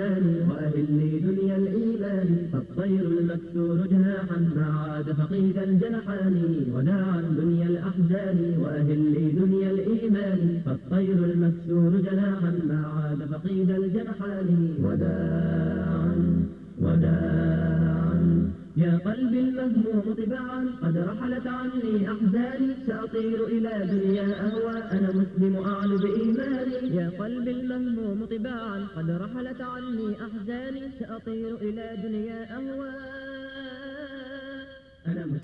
الرحمن وأهل لي دنيا الإيمان فالطير المكسور جناحا ما عاد فقيد الجنحان وداعا دنيا الأحزان وأهل لي دنيا الإيمان فالطير المكسور جناحا ما عاد فقيد الجنحان وداعا وداعا يا قلبي المهموم طباعا قد رحلت عني أحزاني سأطير إلى دنيا أهوى أنا مسلم أعلو بإيماني يا قلبي المهموم طباعا قد رحلت عني أحزاني سأطير إلى دنيا أهوى.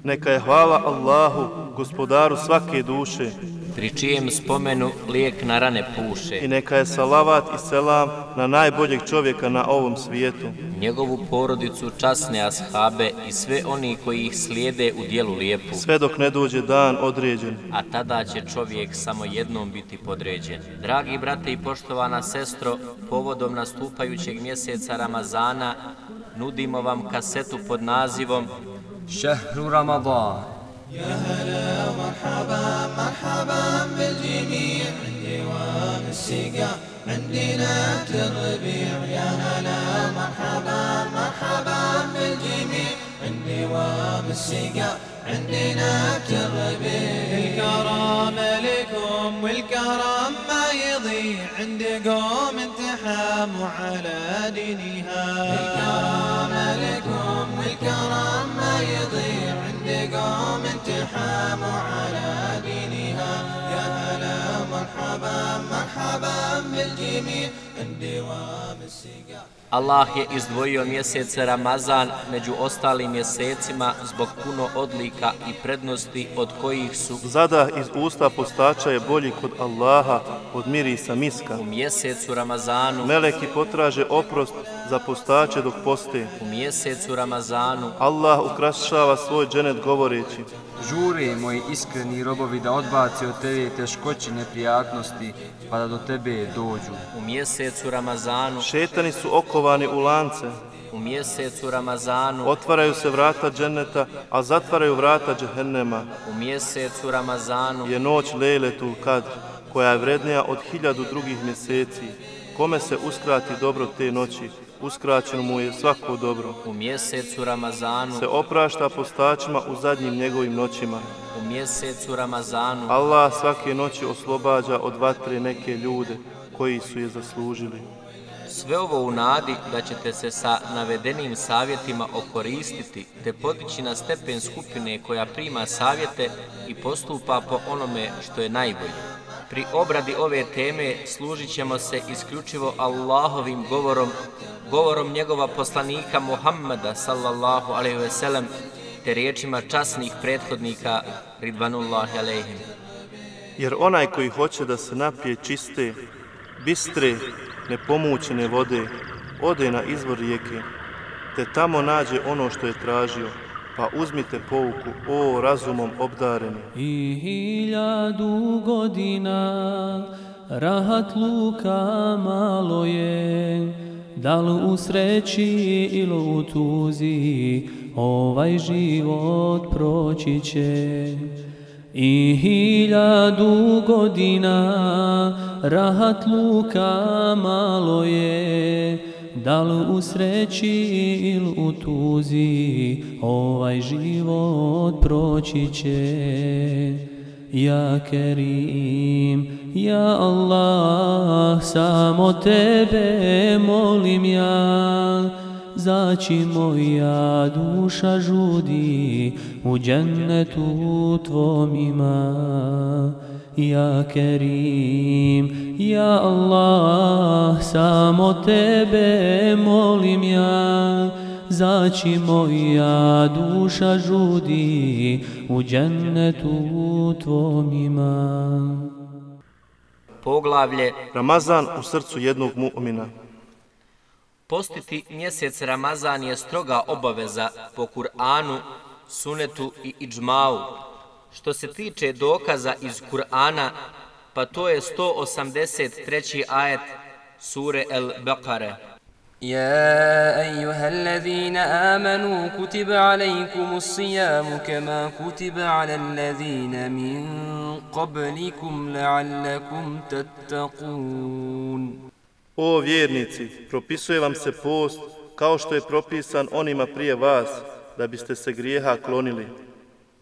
Neka je hvala Allahu, gospodaru svake duše, pri čijem spomenu lijek na rane puše. I neka je salavat i selam na najboljeg čovjeka na ovom svijetu, njegovu porodicu, časne ashabe i sve oni koji ih slijede u dijelu lijepu. Sve dok ne dođe dan određen. A tada će čovjek samo jednom biti podređen. Dragi brate i poštovana sestro, povodom nastupajućeg mjeseca Ramazana nudimo vam kasetu pod nazivom Šehru Ramadan. يا هلا مرحبا مرحبا بالجميع عندي دوام السقا عندنا الربيع يا هلا مرحبا مرحبا بالجميع عندي دوام السقا عندنا الربيع الكرم لكم والكرم ما يضيع عندكم انتحاموا على دينها الكرم لكم والكرم ما يضيع عندكم انتحاموا على دينها يا هلا مرحبا مرحبا بالجميع عندي دوام السقا. Allah je izdvojio mjesec Ramazan među ostalim mjesecima zbog puno odlika i prednosti od kojih su zadah iz usta postača je bolji kod Allaha od mirisa miska. U mjesecu Ramazanu meleki potraže oprost za postače dok poste. U mjesecu Ramazanu Allah ukrašava svoj dženet govoreći: žure moji iskreni robovi da odbaci od tebe teškoće neprijatnosti pa da do tebe dođu. U mjesecu Ramazanu šetani su okovani u lance. U mjesecu Ramazanu otvaraju se vrata dženeta, a zatvaraju vrata džehennema. U mjesecu Ramazanu je noć Lejletul Kadr, koja je vrednija od 1000 drugih mjeseci. Kome se uskrati dobro te noći, uskraćeno mu je svako dobro. U mjesecu Ramazanu se oprašta postačima u zadnjim njegovim noćima. U mjesecu Ramazanu Allah svake noći oslobađa od vatre neke ljude koji su je zaslužili. Sve ovo u nadi da ćete se sa navedenim savjetima okoristiti te podići na stepen skupine koja prima savjete i postupa po onome što je najbolje. Pri obradi ove teme služit ćemo se isključivo Allahovim govorom njegova poslanika Muhammeda sallallahu alejhi ve sellem te riječima časnih prethodnika ridvanullahi alejhim. Jer onaj koji hoće da se napije čiste, bistre, nepomućene vode, ode na izvor rijeke, te tamo nađe ono što je tražio, pa uzmite pouku, o razumom obdareni. I 1000 godina rahatluka malo je, da li u sreći ili u tuzi, ovaj život proći će. I 1000 godina rahatluka malo je, da li u sreći ili u tuzi, ovaj život proći će. Ja Kerim, ja Allah, samo tebe molim ja, zaći moja duša žudi, u džennetu tvom ima. Ja Kerim, ja Allah, samo tebe molim ja, zaći moja duša žudi, u džennetu tvom ima. Poglavlje Ramazan u srcu jednog mu'mina. Postiti mjesec Ramazan je stroga obaveza po Kur'anu, sunetu i iđmau. Što se tiče dokaza iz Kur'ana, pa to je 183. ajet sure El-Baqare. يا أيها الذين آمنوا كتب عليكم الصيام كما كتب على الذين من قبلكم لعلكم تتقون. O vjernici, propisuje vam se post kao što je propisan onima prije vas, da biste se grijeha klonili.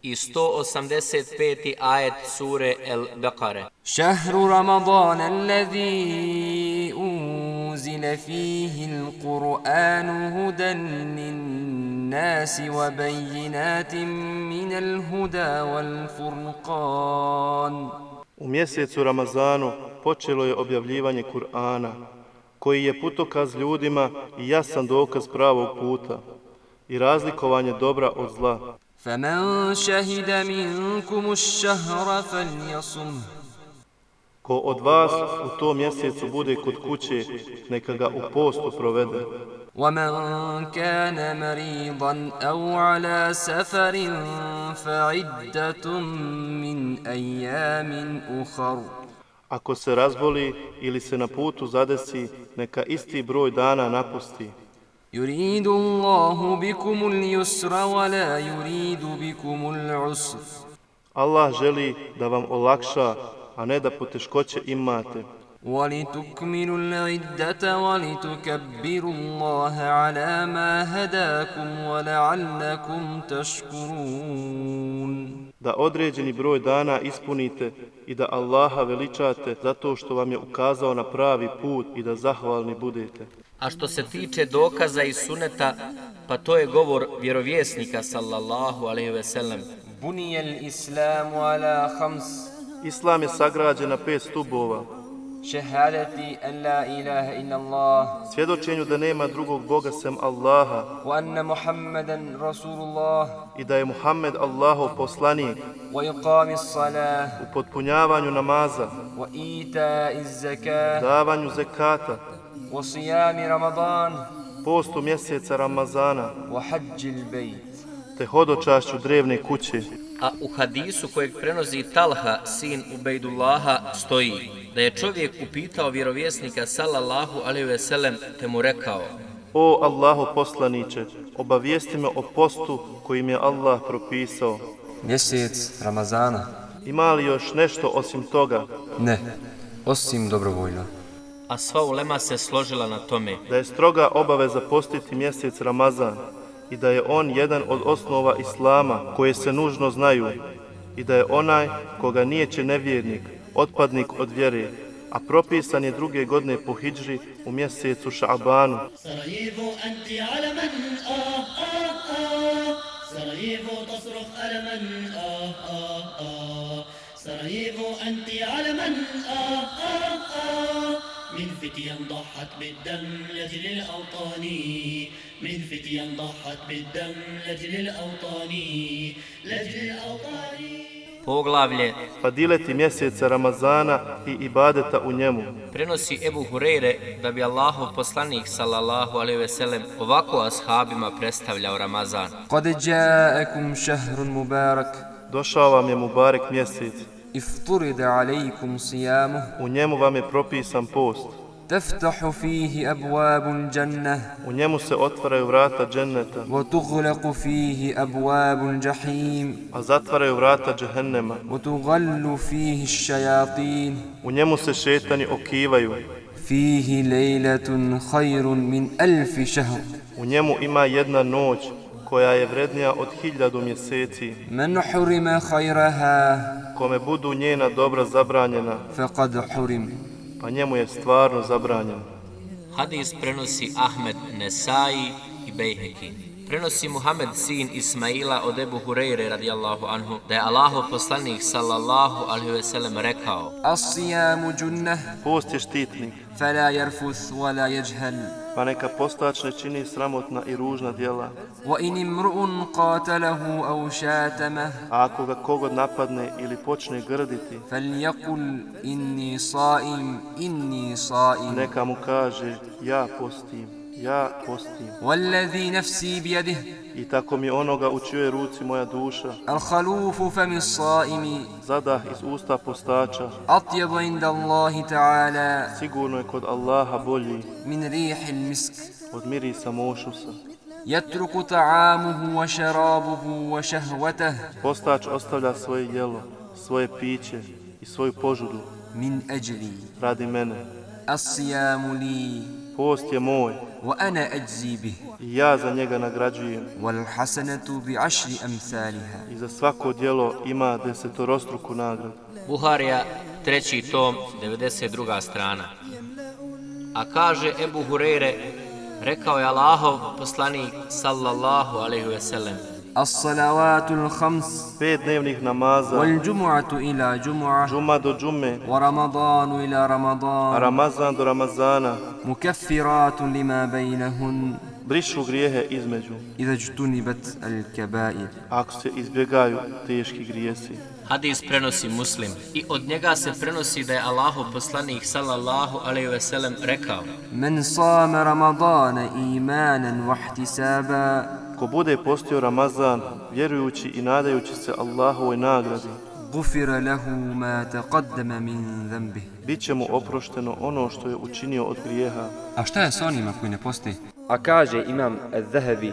I 185. ajet sure El-Bekare. شهر رمضان الذي أنزل فيه القرآن هدى للناس وبينات من الهدى والفرقان. U mjesecu Ramazanu počelo je objavljivanje Kur'ana, koji je putokaz ljudima i jasan dokaz pravog puta i razlikovanje dobra od zla. فمن شهد منكم الشهر فليصمه. Ko od vas u tom mjesecu bude kod kuće, neka ga u postu provede. ومن كان مريضا أو على سفر فعدة من أيام أخر. Ako se razboli ili se na putu zadesi, neka isti broj dana napusti. يريد الله بكم اليسر ولا يريد بكم العسر. Allah želi da vam olakša, a ne da poteškoće imate. ولتكملوا العدة ولتكبروا الله على ما هداكم ولعلكم تشكرون. Da određeni broj dana ispunite i da Allaha veličate zato što vam je ukazao na pravi put i da zahvalni budete. A što se tiče dokaza iz suneta, pa to je govor vjerovjesnika sallallahu alejhi ve sellem. بني الإسلام على خمس. Islam je sagrađen na 5 stubova. شهادة أن لا إله إلا الله Svjedočenju da nema drugog Boga sem Allaha وأن محمدا رسول الله i da je Muhammed Allahov poslanik, وإقام الصلاة u potpunjavanju namaza, وإيتاء الزكاة davanju zekata, وصيام رمضان postu mjeseca Ramazana, وحج البيت. te hodočašću drevne kuće. A u hadisu kojeg prenosi Talha, sin Ubejdullaha, stoji da je čovjek upitao vjerovjesnika sallallahu alejhi ve sellem te mu rekao: O Allahov poslaniče, obavijesti me o postu kojim je Allah propisao. Mjesec Ramazana? Ima li još nešto osim toga? Ne, osim dobrovoljno. A sva ulema se složila na tome Da je stroga obaveza postiti mjesec Ramazan i da je on jedan od osnova Islama koje se nužno znaju i da je onaj koga nijeće nevjernik, otpadnik od vjere, a propisan je druge godine po hidžri u mjesecu Ša'banu. Sarajevo anti alaman, Sarajevo tasruf alaman, Sarajevo anti alaman, من فتيا ضحت بالدم لأجل الأوطان من فتيا ضحت بالدم لأجل الأوطان لأجل الأوطان. Poglavlje Fadileti mjeseca Ramazana i ibadeta u njemu. prenosi Ebu Hureyre da bi Allahov poslanik sallallahu alejhi ve sellem ovako ashabima predstavljao Ramazan. قد جاءكم شهر مبارك Došao vam je Mubarek mjesec, افترض عليكم صيامه u njemu vam je propisan post, تفتح فيه أبواب الجنة u njemu se otvaraju vrata dženneta, وتغلق فيه أبواب الجحيم a zatvaraju vrata džehennema, وتغل فيه الشياطين u njemu se šetani okivaju, فيه ليلة خير من 1000 شهر u njemu ima jedna noć koja je vrednija od 1000 mjeseci. من حرم خيرها Kome budu njena dobra zabranjena, فقد حرم. pa njemu je stvarno zabranjeno. Hadis prenosi Ahmed Nesai i Bejheki. Prenosi Muhammed sin Ismaila od Ebu Hureyre radijallahu anhu da je Allahov poslanik sallallahu alejhi ve sellem rekao: الصيام جنة Post je štitnik, فلا يرفث ولا يجهل pa neka postač ne čini sramotna i ružna djela. وإن امرؤ قاتله أو شاتمه A ako ga kogod napadne ili počne grditi, فليقل إني صائم إني صائم neka mu kaže ja postim, ja postim. والذي نفسي بيده I tako mi onoga u čijoj ruci moja duša, الخلوف فم الصائم zadah iz usta postača, أطيب عند الله تعالى sigurno je kod Allaha bolji من ريح المسك od mirisa mošusa. يترك طعامه وشرابه وشهوته Postač ostavlja svoje jelo, svoje piće i svoju požudu من أجلي radi mene. الصيام لي Post je moj وأنا أجزي به i ja za njega nagrađujem. والحسنة بعشر أمثالها. I za svako djelo ima 10-struku nagradu. Buharija, 3. tom, 92. strana. A kaže Ebu Hureyre, rekao je Allahov poslanik sallallahu alejhi ve sellem: الصلوات الخمس 5 dnevnih namaza, والجمعة إلى جمعة džuma do džume, ورمضان إلى a رمضان Ramazan do Ramazana, مكفرات لما بينهن brišu grijehe između, إذا اجتنبت الكبائر. ako se izbjegaju teški grijesi. Hadis prenosi Muslim i od njega se prenosi da je Allahov poslanik sallallahu alejhi ve sellem rekao: من صام رمضان إيمانا واحتسابا Ko bude postio Ramazan, vjerujući i nadajući se Allahovoj nagradi, غفر له ما تقدم من ذنبه. bit će mu oprošteno ono što je učinio od grijeha. A šta je s onima koji ne posti? A kaže Imam al-Zahabi,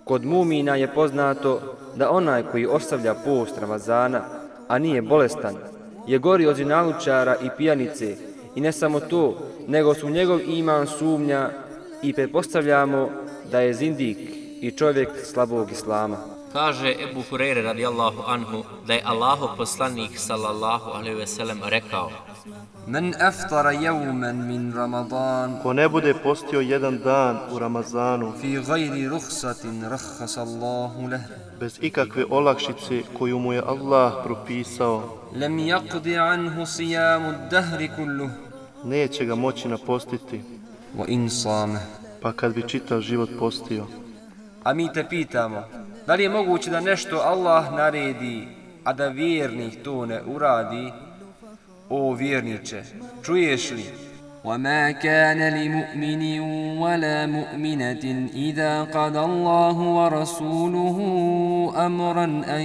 kod mumina je poznato da onaj koji ostavlja post Ramazana, a nije bolestan, je gori od zinalučara i pijanice, i ne samo to, nego su njegov iman sumnja i pretpostavljamo da je zindik i čovjek slabog islama. Kaže Ebu Hureyre radijallahu anhu da je Allahov poslanik sallallahu alejhi ve sellem rekao: من أفطر يوما من رمضان Ko ne bude postio jedan dan u Ramazanu, في غير رخصة رخص الله له bez ikakve olakšice koju mu je Allah propisao, لم يقض عنه صيام الدهر كله neće ga moći napostiti, وإن صامه. pa kad bi čitav život postio. A mi te pitamo, da li je moguće da nešto Allah naredi, a da vjernik to ne uradi? O vjerniče, čuješ li? وما كان لمؤمن ولا مؤمنة إذا قضى الله ورسوله أمرا أن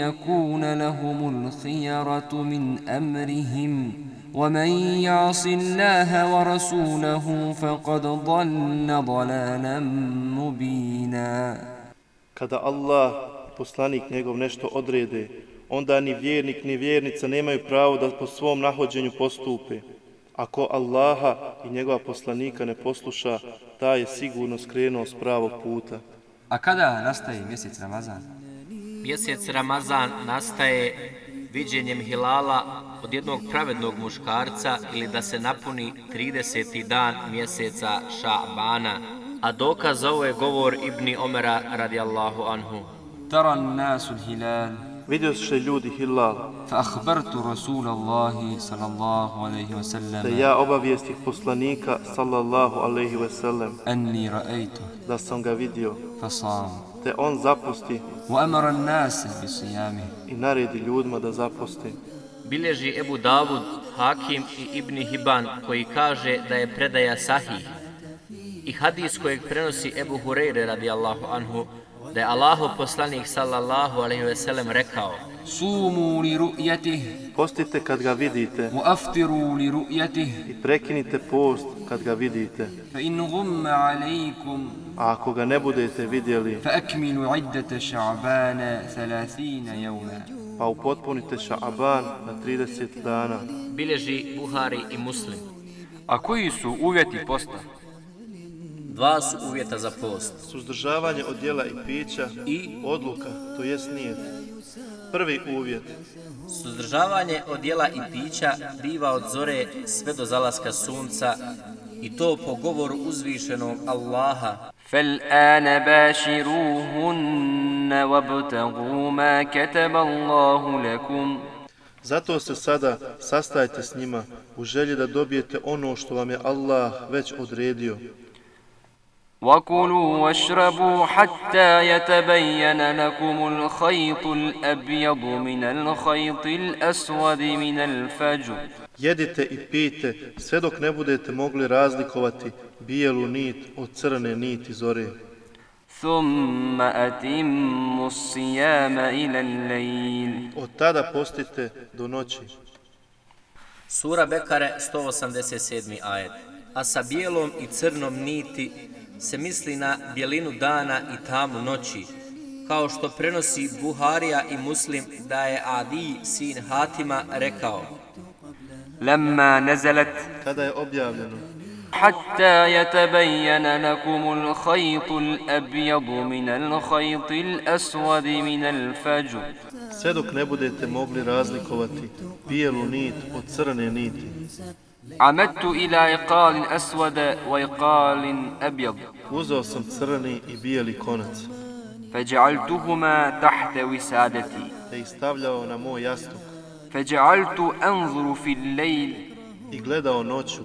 يكون لهم الخيرة من أمرهم ومن يعص الله ورسوله فقد ضل ضلالا مبينا. Kada Allah, poslanik njegov, nešto odrede, onda ni vjernik ni vjernica nemaju pravo da po svom nahođenju postupe. Ako Allaha i njegova poslanika ne posluša, taj je sigurno skrenuo s pravog puta. A kada nastaje mjesec Ramazan? Mjesec Ramazan nastaje viđenjem hilala od jednog pravednog muškarca ili da se napuni 30. dan mjeseca Ša'bana. A dokaz za ovo je govor Ibni Omera radijallahu anhu. ترى الناس الهلال Vidio se ljudi hilal, فأخبرت رسول الله صلى الله عليه te وسلم ja obavijestih poslanika sallallahu alejhi ve sellem أني رأيته da sam ga vidio, فصام te on zapusti وأمر الناس بصيامه. i naredi ljudima da zapusti. Bilježi Ebu Davud, Hakim i Ibni Hiban koji kaže da je predaja sahih. I hadis kojeg prenosi Ebu Hureyre radijallahu anhu da je Allahov poslanik sallallahu alejhi ve sellem rekao: صوموا لرؤيته Postite kad ga vidite وأفطروا لرؤيته i prekinite post kad ga vidite. فإن غم عليكم A ako ga ne budete vidjeli, فأكملوا عدة شعبان 30 يوما. pa upotpunite Ša'aban na 30 dana. Bilježi Buhari i Muslim. A koji su uvjeti posta? 2 su uvjeta za post. Suzdržavanje od jela i pića i odluka, to jest nijet. Prvi uvjet, Suzdržavanje od jela i pića biva od zore sve do zalaska sunca i to po govoru uzvišenog Allaha. فالآن باشروهن وابتغوا ما كتب الله لكم. zato se sada sastajte s njima u želji da dobijete ono što vam je Allah već odredio. وكلوا واشربوا حتى يتبين لكم الخيط الأبيض من الخيط الأسود من الفجر. Jedite i pijte sve dok ne budete mogli razlikovati bijelu nit od crne niti zore. ثم أتموا الصيام إلى الليل. Od tada postite do noći. Sura Bekare, 187. ajet. A sa bijelom i crnom niti se misli na bjelinu dana i tamu noći, kao što prenosi Buharija i Muslim da je Adi sin Hatima rekao: لما نزلت kada je objavljeno حتى يتبين لكم الخيط الأبيض من الخيط الأسود من الفجر sve dok ne budete mogli razlikovati bijelu nit od crne niti. عمدت إلى إقال أسود وإقال أبيض Uzeo sam crni i bijeli konac فجعلتهما تحت وسادتي te ih stavljao na moj jastuk فجعلت أنظر في الليل i gledao noću,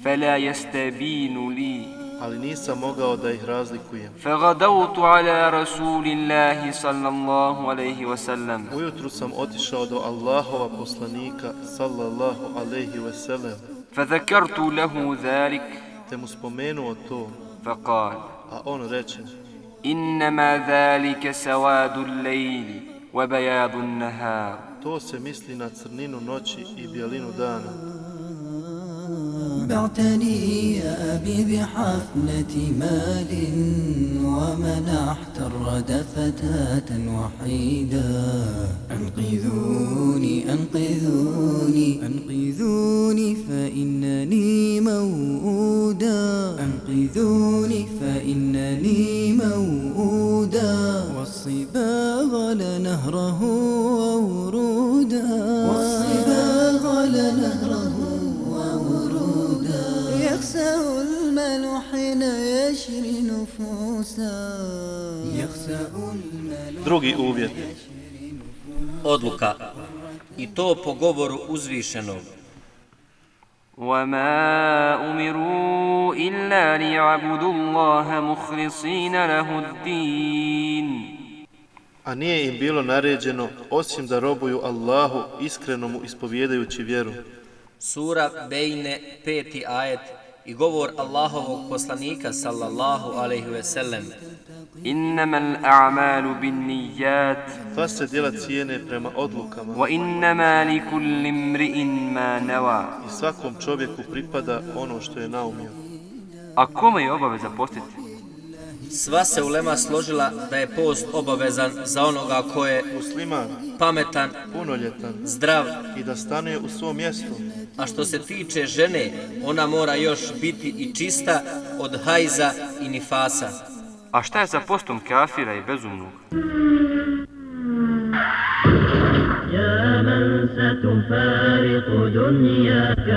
فلا يستبين لي ali nisam mogao da ih razlikujem. فغدوت على رسول الله صلى الله عليه وسلم Ujutru sam otišao do Allahova poslanika sallallahu alejhi ve sellem فذكرت له ذلك te mu spomenuo to, فقال a on reče: إنما ذلك سواد الليل وبياض النهار to se misli na crninu noći i bijelinu dana. بعتني يا أبي بحفنة مال ومنحت الردى فتاة وحيدا أنقذوني أنقذوني أنقذوني فإنني موؤودا أنقذوني فإنني موؤودا والصباغ لنهره وورودا والصباغ لنهره يخسأ المال حين يشري نفوسا يخسأ المال. Drugi uvjet. Odluka. I to po govoru uzvišenog. وما أمروا إلا ليعبدوا الله مخلصين له الدين A nije im bilo naređeno osim da robuju Allahu iskreno mu ispovjedajući vjeru. Sura Bejne, 5. ajet i govor Allahovog poslanika sallallahu alejhi ve sellem. إنما الأعمال بالنيات Sva se djela cijene prema odlukama وإنما لكل امرئ ما نوى. i svakom čovjeku pripada ono što je naumio. A kome je obaveza postiti? Sva se ulema složila da je post obavezan za onoga ko je Musliman, pametan, punoljetan zdrav, i da stanuje u svom mjestu. a što se tiče žene, ona mora još biti i čista od hajza i nifasa. A šta je sa postom kafira i bezumnog? يا من ستفارق دنياك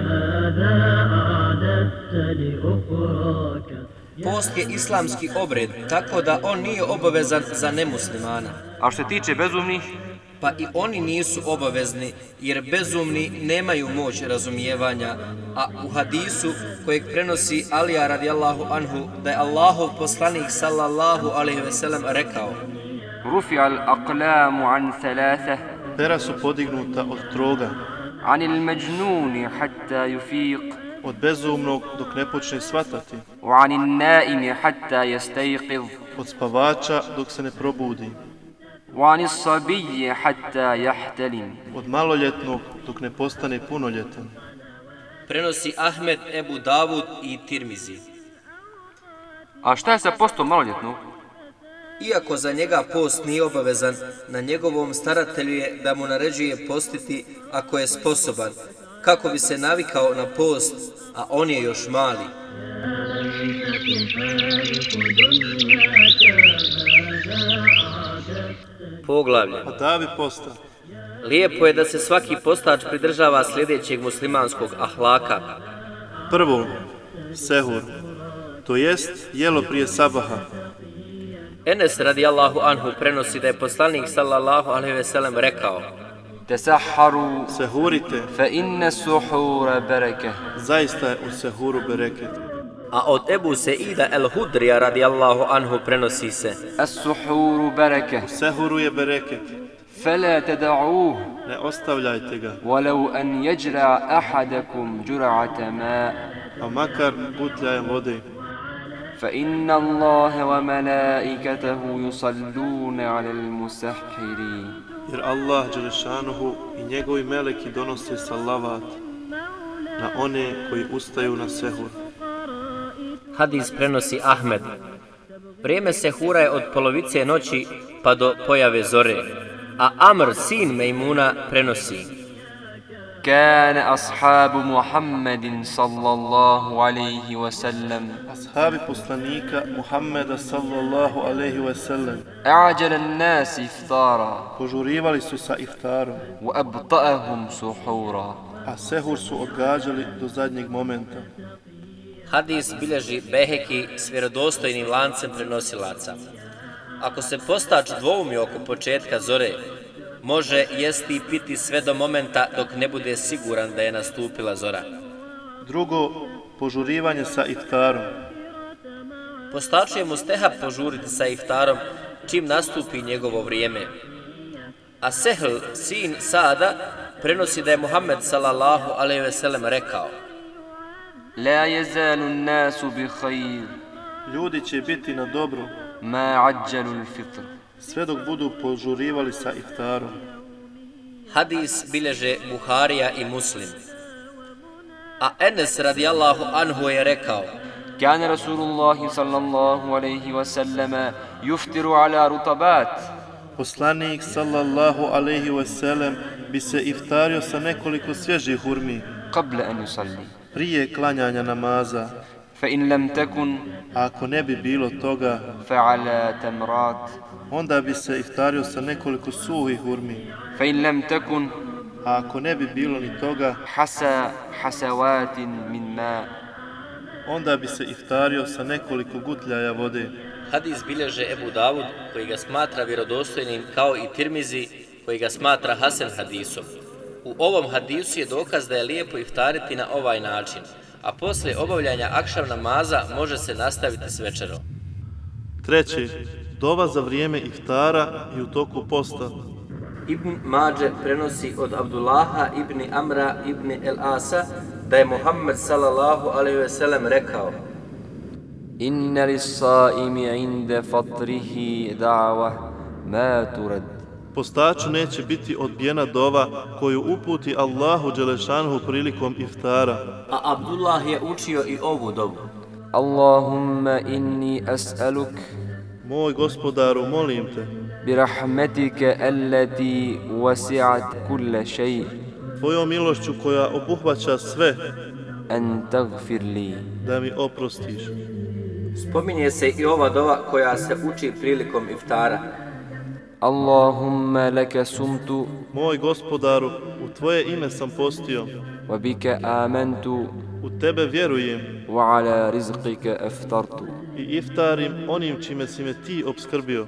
ماذا أعددت لأخراك. Post je islamski obred, tako da on nije obavezan za nemuslimana. A što se tiče bezumnih? Pa i oni nisu obavezni, jer bezumni nemaju moć razumijevanja, a u hadisu kojeg prenosi Alija radijallahu anhu da je Allahov poslanik sallallahu alejhi ve sellem rekao: رفع الأقلام عن ثلاثة Pera su podignuta od troga, عن المجنون حتى يفيق od bezumnog dok ne počne shvatati, وعن النائم حتى يستيقظ od spavača dok se ne probudi, وعن الصبي حتى يحتلم. od maloljetnog dok ne postane punoljetan. Prenosi Ahmed, Ebu Davud i Tirmizi. A šta je sa postom maloljetnog? Iako za njega post nije obavezan, na njegovom staratelju je da mu naređuje postiti ako je sposoban, kako bi se navikao na post, a on je još mali. Poglavlje. Adabi posta. Lijepo je da se svaki postač pridržava sljedećeg muslimanskog ahlaka. Prvo, sehur, to jest jelo prije sabaha. Enes radijallahu anhu prenosi da je poslanik sallallahu alejhi ve sellem rekao: تسحروا Sehurite, فإن السحور بركة. zaista je u sehuru bereket. A od Ebu Seida el-Hudrija radijallahu anhu prenosi se: السحور بركة Sehuru je bereket, فلا تدعوه ne ostavljajte ga, ولو أن يجرع أحدكم جرعة ماء pa makar gutljajem vode. فإن الله وملائكته يصلون على المسحرين. Jer Allah Đelešanuhu i njegovi meleki donose salavat na one koji ustaju na sehur. Hadis prenosi Ahmed. Vrijeme sehura je od polovice noći pa do pojave zore. A Amr, sin Mejmuna, prenosi: كان أصحاب محمد صلى الله عليه وسلم Ashabi poslanika Muhammeda sallallahu alejhi ve sellem أعجل الناس إفطارا požurivali su sa iftarom, وأبطأهم سحورا. a sehur su odgađali do zadnjeg momenta. Hadis bilježi Beheki s vjerodostojnim lancem prenosilaca. Ako se postač dvoumi oko početka zore, može jesti i piti sve do momenta dok ne bude siguran da je nastupila zora. Drugo, požurivanje sa iftarom. Postaču je mustehab požuriti sa iftarom čim nastupi njegovo vrijeme. A Sehl, sin Sada, prenosi da je Muhammed sallallahu alejhi ve sellem rekao: لا يزال الناس بخير Ljudi će biti na dobru ما عجلوا الفطر. sve dok budu požurivali sa iftarom. Hadis bilježe Buharija i Muslim. A Enes radijallahu anhu je rekao: كان رسول الله صلى الله عليه وسلم يفطر على رطبات. Poslanik sallallahu alejhi ve sellem bi se iftario sa nekoliko svježih hurmi قبل أن يصلي. prije klanjanja namaza. فإن لم تكن A ako ne bi bilo toga, فعلى تمرات. onda bi se iftario sa nekoliko suhih hurmi. فإن لم تكن A ako ne bi bilo ni toga, حسى حسوات من ماء. onda bi se iftario sa nekoliko gutljaja vode. Hadis bilježe Ebu Davud, koji ga smatra vjerodostojnim, kao i Tirmizi, koji ga smatra Hasan hadisom. U ovom hadisu je dokaz da je lijepo iftariti na ovaj način, a poslije obavljanja akšam namaza može se nastaviti s večerom. Treće, dova za vrijeme iftara i u toku posta. Ibn Mađe prenosi od Abdullaha ibn Amra ibn el-Asa da je Muhammed sallallahu alejhi ve sellem rekao: إن للصائم عند فطره دعوة ما ترد. Postaču neće biti odbijena dova koju uputi Allahu dželešanuhu prilikom iftara. A Abdullah je učio i ovu dovu: اللهم إني أسألك Moj gospodaru, molim te, برحمتك التي وسعت كل شيء tvojom milošću koja obuhvaća sve, أن تغفر لي. da mi oprostiš. Spominje se i ova dova koja se uči prilikom iftara: اللهم لك صمت Moj gospodaru, u tvoje ime sam postio, وبك آمنت u tebe vjerujem وعلى رزقك أفطرت. i iftarim onim čime si me ti obskrbio.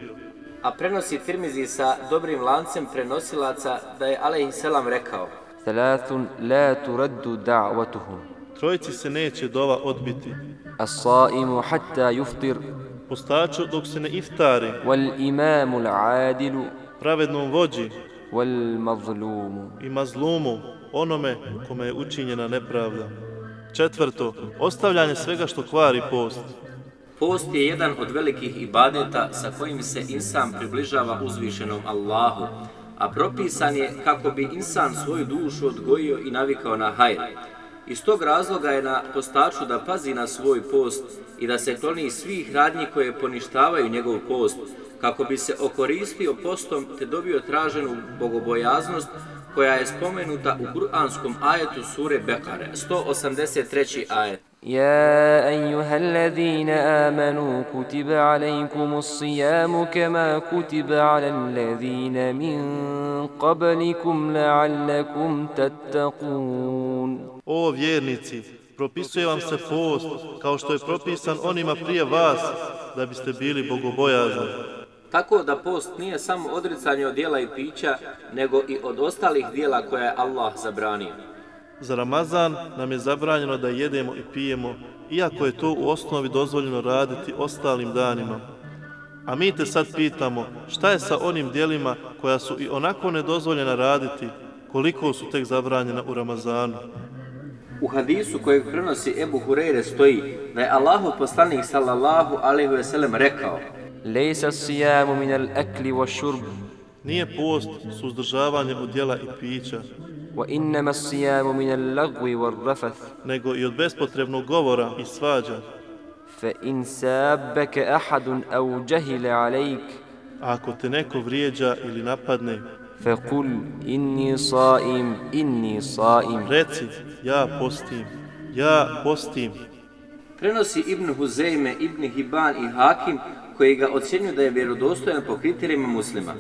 A prenosi Tirmizi sa dobrim lancem prenosilaca da je alejhiselam rekao: ثلاث لا ترد دعوتهم. Trojici se neće dova odbiti. الصائم حتى يفطر Postaču dok se ne iftari, والإمام العادل pravednom vođi والمظلوم. i mazlumu, onome kome je učinjena nepravda. Četvrto, ostavljanje svega što kvari post. Post je jedan od velikih ibadeta sa kojim se insan približava uzvišenom Allahu, a propisan je kako bi insan svoju dušu odgojio i navikao na hajr. Iz tog razloga je na postaču da pazi na svoj post i da se kloni svih radnji koje poništavaju njegov post, kako bi se okoristio postom te dobio traženu bogobojaznost koja je spomenuta u kuranskom ajetu sure Bekare, 183. ajet. يا أيها الذين آمنوا كتب عليكم الصيام كما كتب على الذين من قبلكم لعلكم تتقون. O vjernici, propisuje vam se post kao što je propisan onima prije vas, da biste bili bogobojazni. Tako da post nije samo odricanje od dijela i pića, nego i od ostalih dijela koja je Allah zabranio. Za Ramazan nam je zabranjeno da jedemo i pijemo, iako je to u osnovi dozvoljeno raditi ostalim danima. A mi te sad pitamo, šta je sa onim dijelima koja su i onako nedozvoljena raditi, koliko su tek zabranjena u Ramazanu? U hadisu kojeg prenosi Ebu Hureyre stoji da je Allahov poslanik sallallahu alejhi ve sellem rekao: ليس الصيام من الأكل والشرب Nije post suzdržavanje od jela i pića, وإنما الصيام من اللغو والرفث. nego i od bespotrebnog govora i svađa. فإن سابك أحد أو جهل عليك A ako te neko vrijeđa ili napadne, فقل إني صائم إني صائم. Reci, ja postim, ja postim. Prenosi Ibn Huzeyme, Ibn Hibban i Hakim, koji ga ocjenjuju da je vjerodostojan po kriterijima muslima.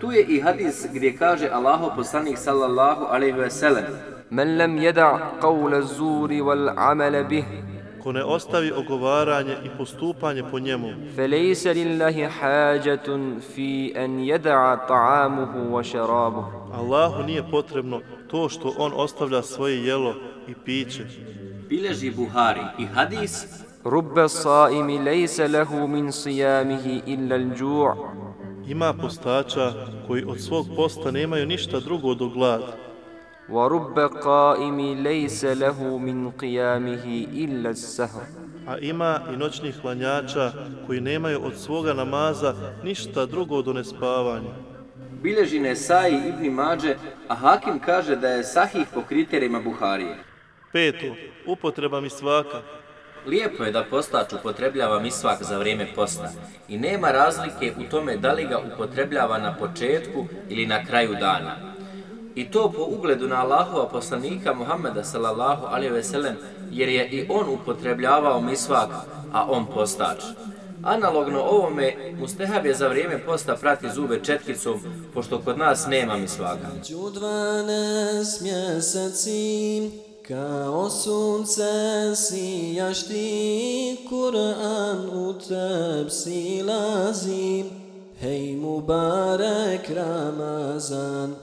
Tu je i hadis gdje kaže Allahov poslanik sallallahu alejhi ve sellem: من لم يدع قول الزور والعمل به Ko ne ostavi ogovaranje i postupanje po njemu, فليس لله حاجة في أن يدع طعامه وشرابه. Allahu nije potrebno to što on ostavlja svoje jelo i piće. Bileži Buhari i hadis: رب الصائم ليس له من صيامه إلا الجوع. Ima postača koji od svog posta nemaju ništa drugo do glad. ورب قائم ليس له من قيامه إلا السهر. A ima i noćnih klanjača koji nemaju od svoga namaza ništa drugo do nespavanja. Bileži Nesai i Ibn Mađe, a Hakim kaže da je sahih po kriterijima Buharije. 5. Upotreba misvaka. Lijepo je da postač upotrebljava misvak za vrijeme posta i nema razlike u tome da li ga upotrebljava na početku ili na kraju dana. I to po ugledu na Allahova poslanika Muhammeda sallallahu alejhi ve sellem, jer je i on upotrebljavao misvak, a on postač. Analogno ovome, mustehab je za vrijeme posta prati zube četkicom, pošto kod nas nema misvaka. 12 mjeseci kao sunce sijaš ti, Kur'an u teb silazi. Hej Mubarek Ramazan,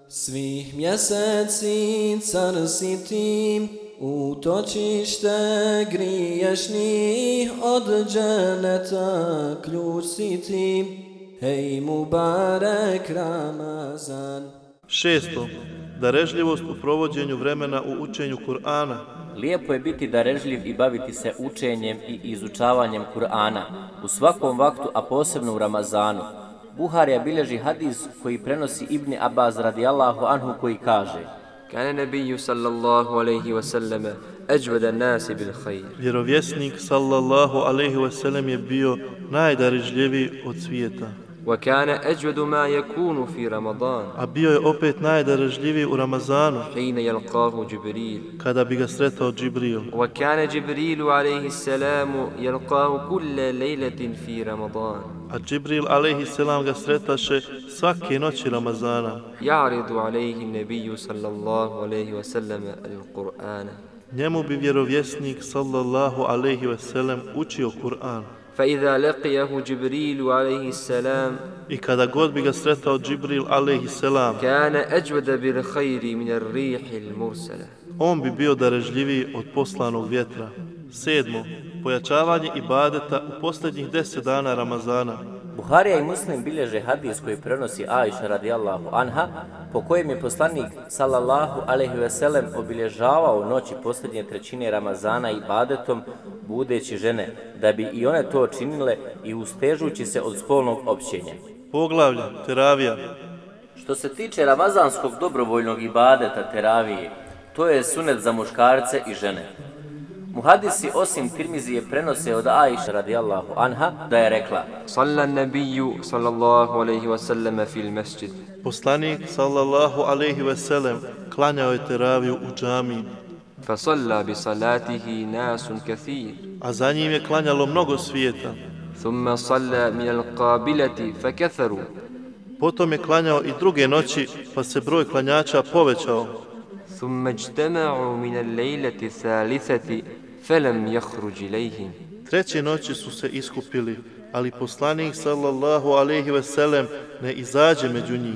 svih mjeseci car si ti, utočište griješnih, od dženeta ključ si ti. Hej Mubarek Ramazan. 6. Darežljivost u provođenju vremena u učenju Kur'ana. Lijepo je biti darežljiv i baviti se učenjem i izučavanjem Kur'ana u svakom vaktu, a posebno u Ramazanu. Buharija bilježi hadis koji prenosi Ibn Abbas radijallahu anhu, koji kaže: كان النبي صلى الله عليه وسلم أجود الناس بالخير. Vjerovjesnik sallallahu alejhi ve sellem je bio najdarežljiviji od svijeta. وكان أجود ما يكون في رمضان. A bio je opet najdarežljiviji u Ramazanu, حين يلقاه جبريل. kada bi ga sretao Džibril. وكان جبريل عليه السلام يلقاه كل ليلة في رمضان. A Džibril alejhi selam ga sretaše svake noći Ramazana. يعرض عليه النبي صلى الله عليه وسلم القرآن. Njemu bi vjerovjesnik sallallahu alejhi ve sellem učio Kur'an. فإذا لقيه جبريل عليه السلام I kada god bi ga sretao Džibril alejhi selam, كان أجود بالخير من الريح المرسلة. on bi bio darežljiviji od poslanog vjetra. 7. Pojačavanje ibadeta u posljednjih 10 dana Ramazana. Buharija i Muslim bilježe hadis koji prenosi Ajša radijallahu anha, po kojem je poslanik sallallahu alejhi ve sellem obilježavao noći posljednje trećine Ramazana ibadetom, budeći žene, da bi i one to činile i ustežujući se od spolnog općenja. Poglavlja, teravija. Što se tiče ramazanskog dobrovoljnog ibadeta teravije, to je sunet za muškarce i žene. Muhadisi osim Tirmizije prenose od Ajša radijallahu anha da je rekla: صلى النبي صلى الله عليه وسلم في المسجد. Poslanik sallallahu alejhi ve sellem klanjao je teraviju u džamiji, فصلى بصلاته ناس كثير. a za njim je klanjalo mnogo svijeta. ثم صلى من القابلة فكثروا. Potom je klanjao i druge noći, pa se broj klanjača povećao. ثم اجتمعوا من الليلة الثالثة فلم يخرج إليهم. Treće noći su se iskupili, ali poslanik sallallahu alejhi ve sellem ne izađe među njih.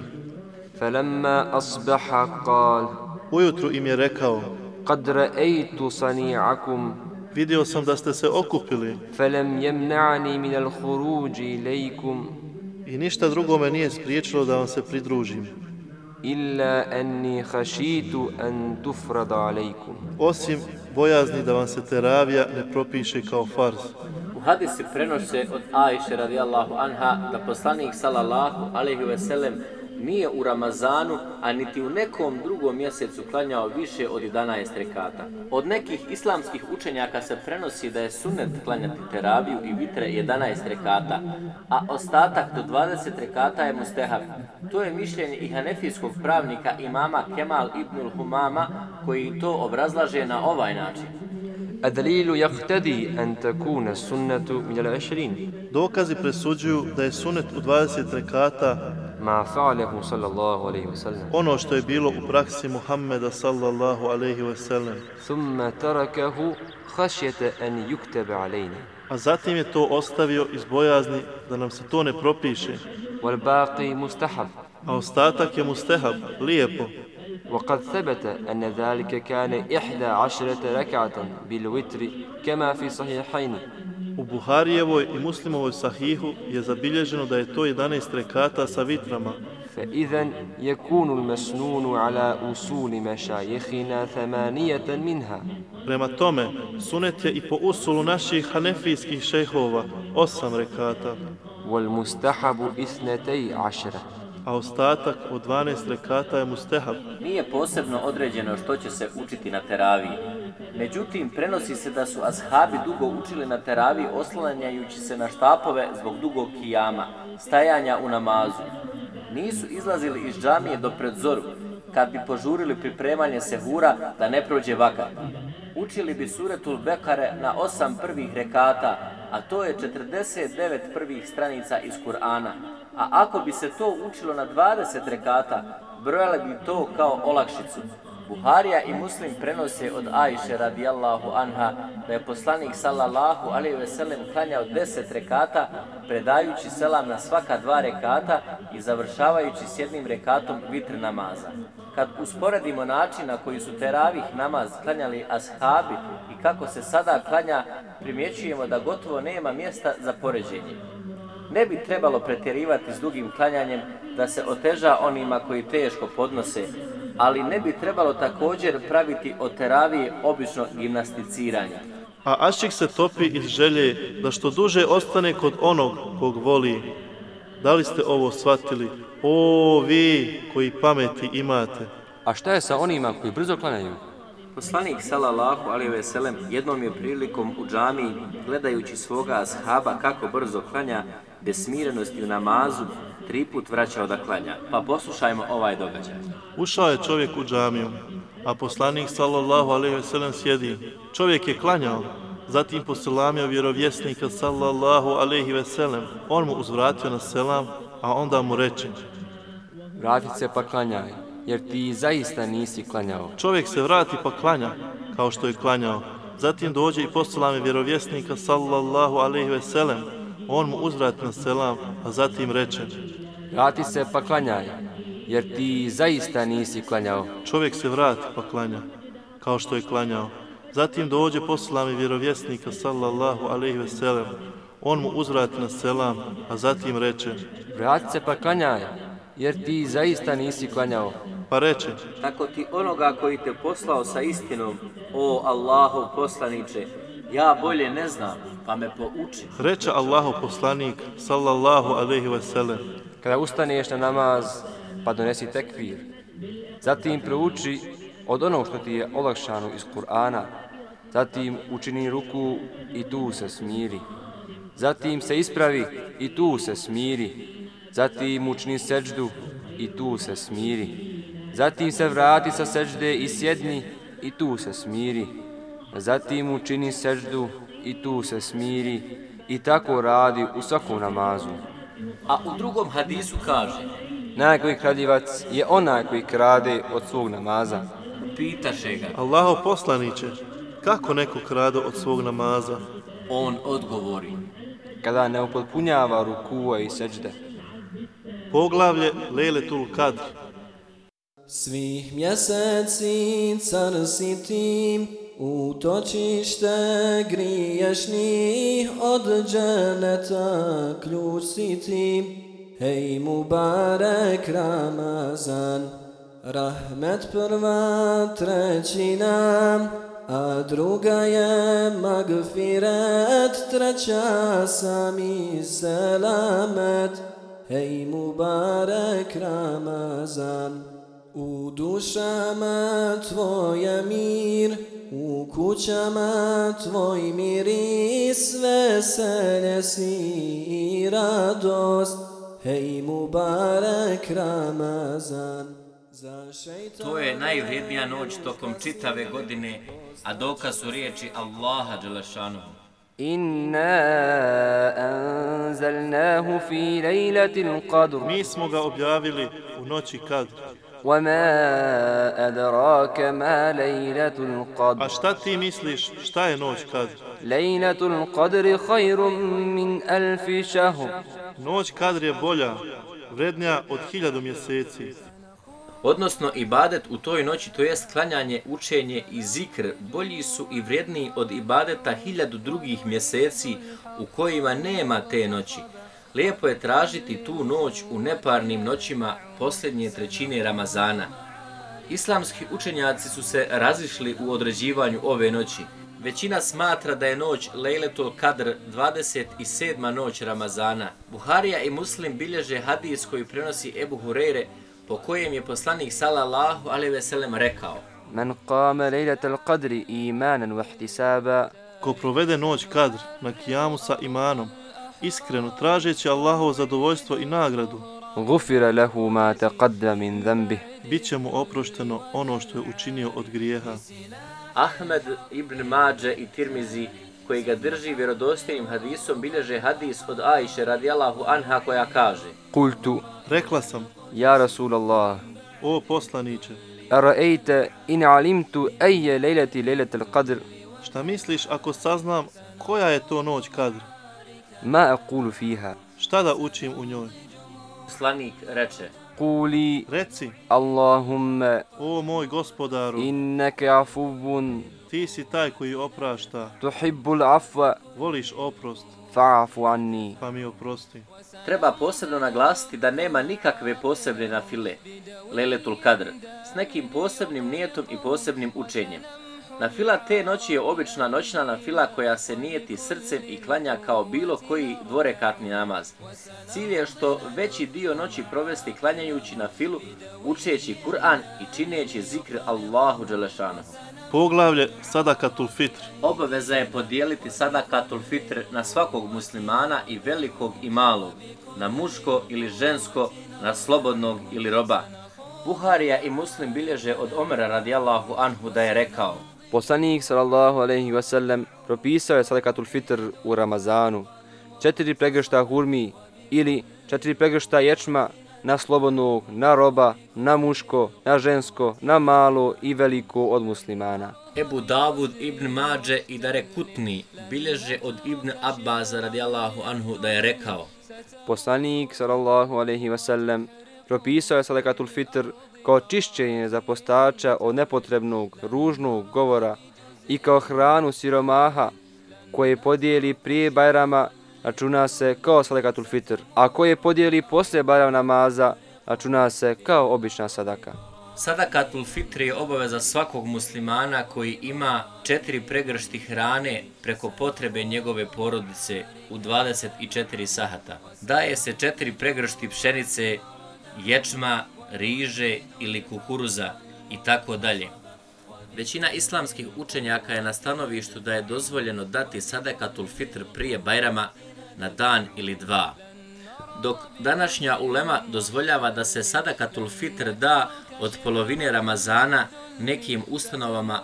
فلما أصبح قال: Ujutru im je rekao: قد رأيت صنيعكم vidio sam da ste se okupili فلم يمنعني من الخروج إليكم i ništa drugo me nije spriječilo da vam se pridružim, إلا أني خشيت أن تفرض عليكم. osim bojazni da vam se teravija ne propiše kao farz. U hadisi prenose od Ajše radijallahu anha da poslanik sallallahu alejhi ve sellem nije u Ramazanu, a niti u nekom drugom mjesecu klanjao više od 11 rekata. Od nekih islamskih učenjaka se prenosi da je sunnet klanjati teraviju i vitre 11 rekata, a ostatak do 20 rekata je mustehab. To je mišljenje i hanefijskog pravnika imama Kemal ibnul Humama, koji to obrazlaže na ovaj način. الدليل يقتضي أن تكون السنة من 20 Dokazi presuđuju da je sunet u 20 rekata ما فعله صلى الله عليه وسلم ono što je bilo u praksi Muhammeda sallallahu alejhi ve sellem. ثم تركه خشية أن يكتب علينا A zatim je to ostavio iz bojazni da nam se to ne propiše, والباقي مستحب. a ostatak je mustehab, lijepo. وقد ثبت أن ذلك كان 11 ركعة بالوتر كما في صحيحين. U Buharijevoj i Muslimovoj sahihu je zabilježeno da je to 11 rekata sa vitrama. فإذا يكون المسنون على أصول مشايخنا 8 منها. Prema tome, sunet je i po usulu naših hanefijskih šejhova 8 rekata, والمستحب 12. a ostatak od 12 rekata je mustehab. Nije posebno određeno što će se učiti na teraviji. Međutim, prenosi se da su ashabi dugo učili na teraviji oslanjajući se na štapove zbog dugog kijama, stajanja u namazu. Nisu izlazili iz džamije do pred zoru, kad bi požurili pripremanje sehura da ne prođe vakat. Učili bi suretul Bekare na 8 prvih rekata, a to je 49 prvih stranica iz Kur'ana. A ako bi se to učilo na 20 rekata, brojali bi to kao olakšicu. Buharija i Muslim prenose od Ajše radijallahu anha da je poslanik sallallahu alejhi ve sellem klanjao 10 rekata, predajući selam na svaka 2 rekata i završavajući s jednim rekatom vitr namaza. Kad usporedimo način na koji su teravih namaz klanjali ashabi i kako se sada klanja, primjećujemo da gotovo nema mjesta za poređenje. Ne bi trebalo pretjerivati s dugim klanjanjem da se oteža onima koji teško podnose, ali ne bi trebalo također praviti od teravije obično gimnasticiranje. A ašik se topi iz želje da što duže ostane kod onog kog voli. Da li ste ovo shvatili? O, vi koji pameti imate! A šta je sa onima koji brzo klanjaju? Poslanik sallallahu alejhi ve sellem jednom je prilikom u džamiji, gledajući svoga ashaba kako brzo klanja, bez smirenosti u namazu, 3 put vraćao da klanja. Pa poslušajmo ovaj događaj. Ušao je čovjek u džamiju, a poslanik sallallahu alejhi ve sellem sjedi. Čovjek je klanjao, zatim poselamio vjerovjesnika sallallahu alejhi ve sellem. On mu uzvratio na selam, a onda mu reče: Vrati se pa klanjaj, jer ti zaista nisi klanjao. Čovjek se vrati pa klanja, kao što je klanjao. Zatim dođe i poselami vjerovjesnika sallallahu alejhi ve sellem. On mu uzvrati na selam, a zatim reče: Vrati se pa klanjaj, jer ti zaista nisi klanjao. Čovjek se vrati pa klanja, kao što je klanjao. Zatim dođe poselami vjerovjesnika sallallahu alejhi ve sellem. On mu uzvrati na selam, a zatim reče: Vrati se pa klanjaj, jer ti zaista nisi klanjao. Pa reče: Tako ti onoga koji te poslao sa istinom, o Allahov poslaniče, ja bolje ne znam, pa me pouči. Reče Allahov poslanik sallallahu alejhi ve sellem: Kada ustaneš na namaz, pa donesi tekbir. Zatim prouči od onog što ti je olakšano iz Kur'ana. Zatim učini ruku i tu se smiri. Zatim se ispravi i tu se smiri. Zatim učini seđdu i tu se smiri. Zatim se vrati sa seđde i sjedni i tu se smiri. Zatim učini seđdu i tu se smiri. I tako radi u svakom namazu. A u drugom hadisu kaže: Najgori kradljivac je onaj koji krade od svog namaza. Pitaše ga: Allahov poslaniče, kako neko krade od svog namaza? On odgovori: Kada ne upotpunjava rukua i seđde. Poglavlje Lejletul Kadr. Svih mjeseci car si ti, utočište griješnih, od dženeta ključ si ti. Hej Mubarek Ramazan, rahmet prva trećina, a druga je magfiret, treća sami selamet. hej Mubarek Ramazan. U dušama tvoja mir, u kućama tvoj miris, veselje si i radost, hej Mubarek Ramazan. To je najvrijednija noć tokom čitave godine, a dokaz su riječi Allaha dželešanuhu. Inna anzalnahu fi lejlatil qadr. Mi smo ga objavili u noći Kadr. وَمَا أَدْرَاكَ مَا لَيْلَةُ الْقَدْرِ. A šta ti misliš, šta je noć Kadr? لَيْلَةُ الْقَدْرِ خَيْرٌ مِنْ أَلْفِ شَهْرٍ. Noć Kadr je bolja, vrednija od 1000 mjeseci. Odnosno, ibadet u toj noći, to jest klanjanje, učenje i zikr, bolji su i vrijedniji od ibadeta 1000 drugih mjeseci u kojima nema te noći. Lijepo je tražiti tu noć u neparnim noćima posljednje trećine Ramazana. Islamski učenjaci su se razišli u određivanju ove noći. Većina smatra da je noć Lejletul Kadr 27. noć Ramazana. Buharija i Muslim bilježe hadis koji prenosi Ebu Hureyre, po kojem je poslanik sallallahu alejhi ve sellem rekao: Man qama lejlatul qadri imanan wa ihtisaba. Ko provede noć Kadr na kijamu sa imanom, iskreno tražeći Allahovo zadovoljstvo i nagradu, Gufira lahu ma taqaddama min dhanbih. Biće mu oprošteno ono što je učinio od grijeha. Ahmed ibn Mađe i Tirmizi, koji ga drži vjerodostojnim hadisom, bilježe hadis od Ajše radijallahu anha koja kaže: Kultu, rekla sam, ja Rasulallah, o poslaniče, ara'ayta in alimtu ayya laylati laylatul qadr. Šta misliš ako saznam koja je to noć Kadr? Ma aqulu fiha. Šta da učim u njoj? Poslanik reče: Quli, reci, Allahumma, o moj gospodaru, innaka afuwun, ti si taj koji oprašta, tuhibbul afwa, voliš oprost, fa'fu anni. Pa mi oprosti. Treba posebno naglasiti da nema nikakve posebne nafile, Lejletul Kadr, s nekim posebnim nijetom i posebnim učenjem. Nafila te noći je obična noćna nafila koja se nijeti srcem i klanja kao bilo koji dvorekatni namaz. Cilj je što veći dio noći provesti klanjajući nafilu, učeći Kur'an i čineći zikr Allahu dželešanuhu. Poglavlje Sadakatul Fitr. Obaveza je podijeliti Sadakatul Fitr na svakog muslimana, i velikog i malog, na muško ili žensko, na slobodnog ili roba. Buharija i Muslim bilježe od Omera radijallahu anhu da je rekao: Poslanik sallallahu alejhi ve sellem propisao je sadakatul fitr u Ramazanu 4 pregršta hurmi ili 4 pregršta ječma na slobodnog, na roba, na muško, na žensko, na malo i veliko od muslimana. Ebu Davud ibn Mađe i Darekutni bilježe od Ibn Abbaza radijallahu anhu da je rekao: Poslanik sallallahu alejhi ve sellem propisao je sadakatul fitr kao čišćenje za postača od nepotrebnog, ružnog govora i kao hranu siromaha koje podijeli prije Bajrama, računa se kao sadakatul fitr, a koje podijeli poslije Bajram namaza, računa se kao obična sadaka. Sadakatul fitr je obaveza svakog muslimana koji ima 4 pregršti hrane preko potrebe njegove porodice u 24 sahata. Daje se 4 pregršti pšenice, ječma, riže ili kukuruza i tako dalje. Većina islamskih učenjaka je na stanovištu da je dozvoljeno dati sadakatul fitr prije Bajrama na dan ili dva, dok današnja ulema dozvoljava da se sadakatul fitr da od polovine Ramazana nekim ustanovama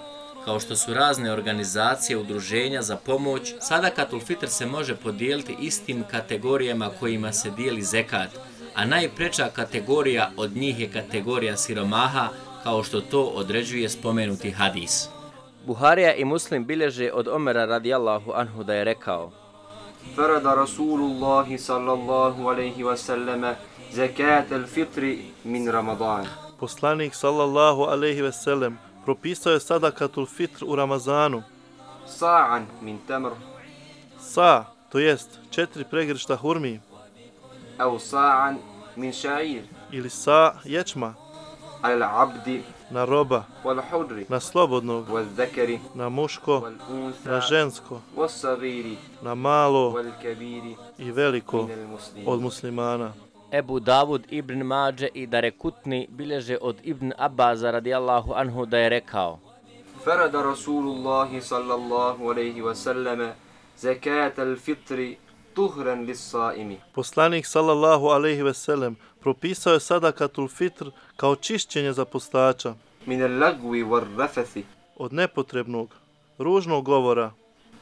kao što su razne organizacije, udruženja za pomoć. Sadakatul fitr se može podijeliti istim kategorijama kojima se dijeli zekat, a najpreča kategorija od njih je kategorija siromaha, kao što to određuje spomenuti hadis. Buharija i Muslim bilježe od Omera radijallahu anhu da je rekao: Farada Rasulullahi sallallahu alejhi ve selleme zakatul fitri min Ramadan. Poslanik sallallahu alejhi ve sellem propisao je sadakatul fitr u Ramazanu. Sa'an min tamr. Sa, to jest 4 pregršta hurmi. Au sa'an min sha'ir. Ili sa ječma. Al abdi. Na roba. Wal hudri. Na slobodnog. Wal zakari. Na muško. Wal unsa. Na žensko. Was sagiri. Na malo. Wal kabiri. I veliko od muslimana. Ebu Davud ibn Mađe i Darekutni bilježe od Ibn Abbaza radijallahu anhu da je rekao: فرض رسول الله صلى الله عليه وسلم زكاة الفطر طهرا للصائم. Poslanik sallallahu alejhi ve sellem propisao je sadakatul fitr kao čišćenje za postača من اللغو والرفث od nepotrebnog, ružnog govora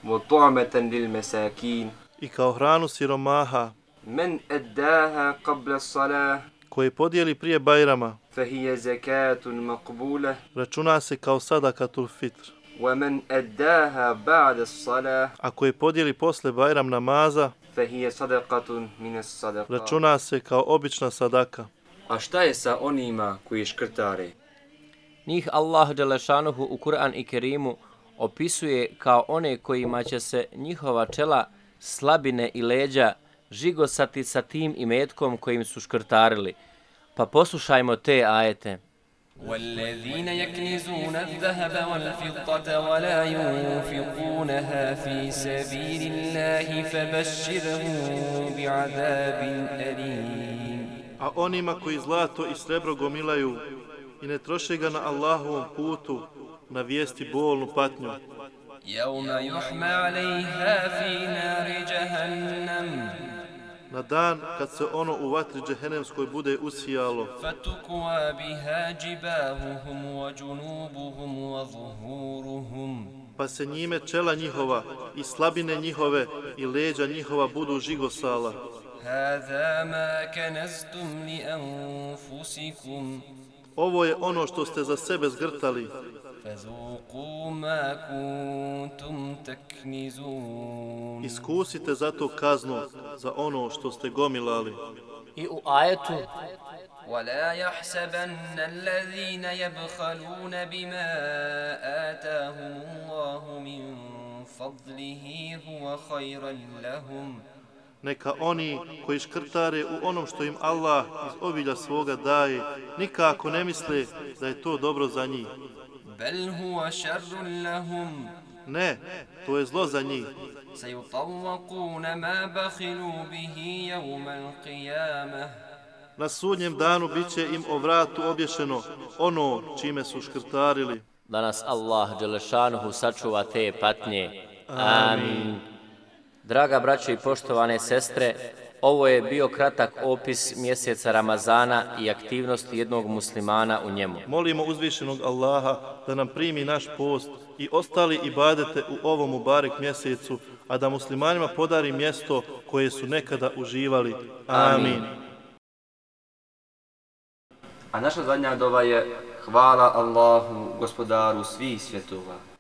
وطعمة للمساكين. i kao hranu siromaha من أداها قبل الصلاة koji podijeli prije Bajrama فهي زكاة مقبولة. računa se kao sadakatul fitr. ومن أداها بعد الصلاة A koji podijeli posle Bajram namaza فهي صدقة من الصدقات. računa se kao obična sadaka. A šta je sa onima koji škrtare? Njih Allah dželešanuhu u Kur'an i Kerimu opisuje kao one kojima će se njihova čela, slabine i leđa žigosati sa tim imetkom kojim su škrtarili. Pa poslušajmo te ajete. والذين يكنزون الذهب والفضة ولا ينفقونها في سبيل الله فبشرهم بعذاب أليم. A onima koji zlato i srebro gomilaju i ne troše ga na Allahovom putu, na vijesti bolnu patnju. يوم يحمى عليها في نار جهنم Na dan kad se ono u vatri džehennemskoj bude usijalo, فتكوى بها جباههم وجنوبهم وظهورهم. pa se njime čela njihova i slabine njihove i leđa njihova budu žigosala. هذا ما كنزتم لأنفسكم Ovo je ono što ste za sebe zgrtali, فذوقوا ما كنتم تكنزون. iskusite zato kaznu za ono što ste gomilali. I u ajetu ولا يحسبن الذين يبخلون بما آتاهم الله من فضله هو خيرا لهم. Neka oni koji škrtare u onom što im Allah iz obilja svoga daje, nikako ne misle da je to dobro za njih. بل هو شر لهم. Ne, to je zlo za njih. سيطوقون ما بخلوا به يوم القيامة. Na sudnjem danu bit će im o vratu obješeno ono čime su škrtarili. da nas Allah dželešanuhu sačuva te patnje. Amin. Draga braćo i poštovane sestre, ovo je bio kratak opis mjeseca Ramazana i aktivnosti jednog muslimana u njemu. Molimo uzvišenog Allaha da nam primi naš post i ostali ibadete u ovom mubarek mjesecu, a da muslimanima podari mjesto koje su nekada uživali. Amin. A naša zadnja dova je hvala Allahu, gospodaru svih svjetova.